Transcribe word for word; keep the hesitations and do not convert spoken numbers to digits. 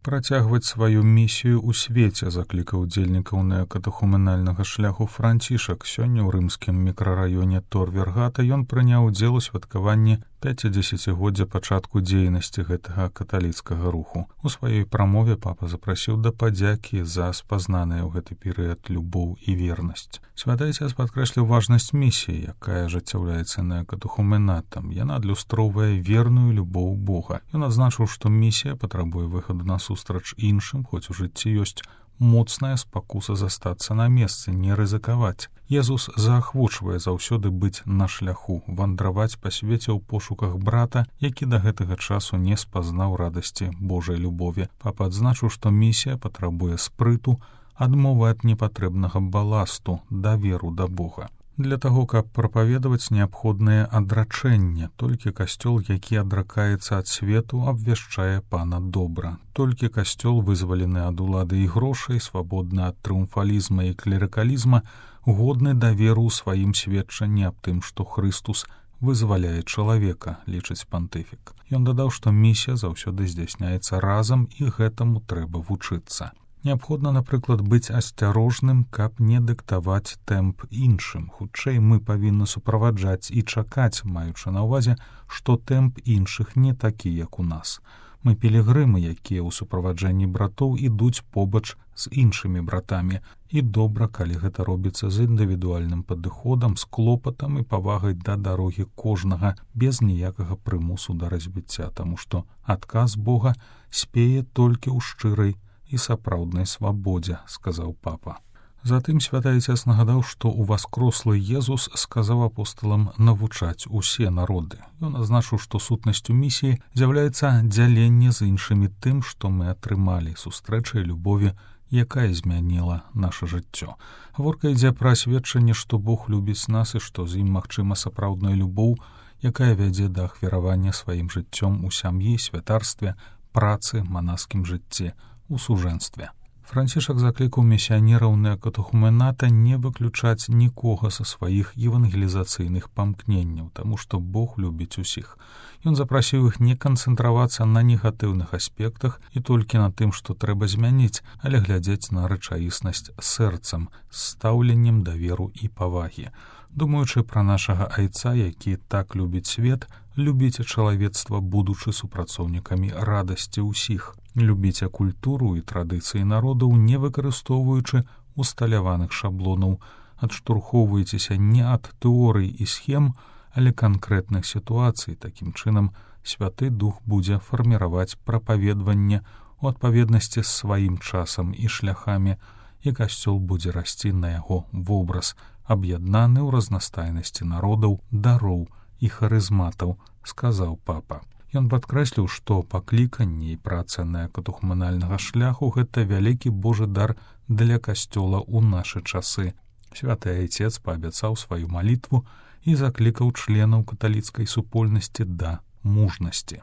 Працягваць сваю місію ў свеце, заклікаў удзельнікаў неакатехуменальнага шляху Францішак. Сёння ў рымскім мікрараёне Торвергата ён прыняў удзел у святкаванні пяцідзесяцігоддзя пачатку дзейнасці гэтага каталіцкага руху. У сваёй прамове папа запрасіў да падзякі за спазнаныя ў гэты перыяд любоў і вернасць. Святы Айцец падкрэсліў важнасць місіі, якая ажыццяўляецца неакатехуменатам. Яна адлюстроўвае верную любоў Бога. Ён адзначыў, што місія патрабуе выхаду на сустрач іншым, хоць у жыцці ёсць моцная спакуса застацца на месцы, не рызыкаваць. Езус заахвочвае заўсёды быць на шляху, вандраваць па свеце ў пошуках брата, які да гэтага часу не спазнаў радасці Божай любові. Папа адзначыў, што місія патрабуе спрыту, адмовы ад непатрэбнага баласту, даверу да Бога. Для таго, каб прапаведаваць, неабходнае адрачэнне. Толькі касцёл, які адракаецца ад свету, абвяшчае пана добра. Толькі касцёл, вызвалены ад улады і грошай, свабодны ад трыумфалізма і клерыкалізма, годны даверу ў сваім сведчанні аб тым, што Хрыстус вызваляе чалавека, лічыць пантыфік. Ён дадаў, што місія заўсёды здзяйсняецца разам, і гэтаму трэба вучыцца. Неабходна, напрыклад, быць асцярожным, каб не дыктаваць тэмп іншым. Хутчэй мы павінны суправаджаць і чакаць, маючы на ўвазе, што тэмп іншых не такі, як у нас. Мы пілігрымы, якія ў суправаджэнні братоў ідуць побач з іншымі братамі. І добра, калі гэта робіцца з індывідуальным падыходам, з клопатам і павагай да дарогі кожнага, без ніякага прымусу да развіцця, таму што адказ Бога спее толькі ў шчырай і сапраўднай свабодзе, сказаў папа. Затым Святы Айцец нагадаў, што уваскрослы Езус сказаў апосталам навучаць усе народы. Ён азначыў, што сутнасцю місіі з'яўляецца дзяленне з іншымі тым, што мы атрымалі, сустрэчай любові, якая змяніла наша жыццё. Гаворка ідзе пра сведчанне, што Бог любіць нас і што з ім магчыма сапраўдная любоў, якая вядзе да ахвяравання сваім жыццём у сям'і, святарстве, працы, манаскім жыцці, у сужэнстве. Францішак заклікаў місіянераў неакатехумената не выключаць нікога са сваіх евангелізацыйных памкненняў, таму што Бог любіць усіх. Ён запрасіў іх не канцэнтравацца на негатыўных аспектах і толькі на тым, што трэба змяніць, але глядзець на рэчаіснасць сэрцам, з стаўленнем даверу і павагі. Думаючы пра нашага Айца, які так любіць свет, любіце чалавецтва, будучы супрацоўнікамі радасці ўсіх. Любіце культуру і традыцыі народаў, не выкарыстоўваючы усталяваных шаблонаў. Адштурхоўвайцеся не ад тэорый і схем, але канкрэтных сітуацый. Такім чынам, Святы Дух будзе фарміраваць прапаведванне у адпаведнасці з сваім часам і шляхамі, і касцёл будзе расці на яго вобраз, аб'яднаны ў разнастайнасці народаў, дароў і харызматаў, сказаў папа. Ён падкрэсліў, што пакліканне і праца неакатехуменальнага шляху — гэта вялікі Божы дар для касцёла ў нашы часы. Святы Айцец паабяцаў сваю малітву і заклікаў членаў каталіцкай супольнасці да мужнасці.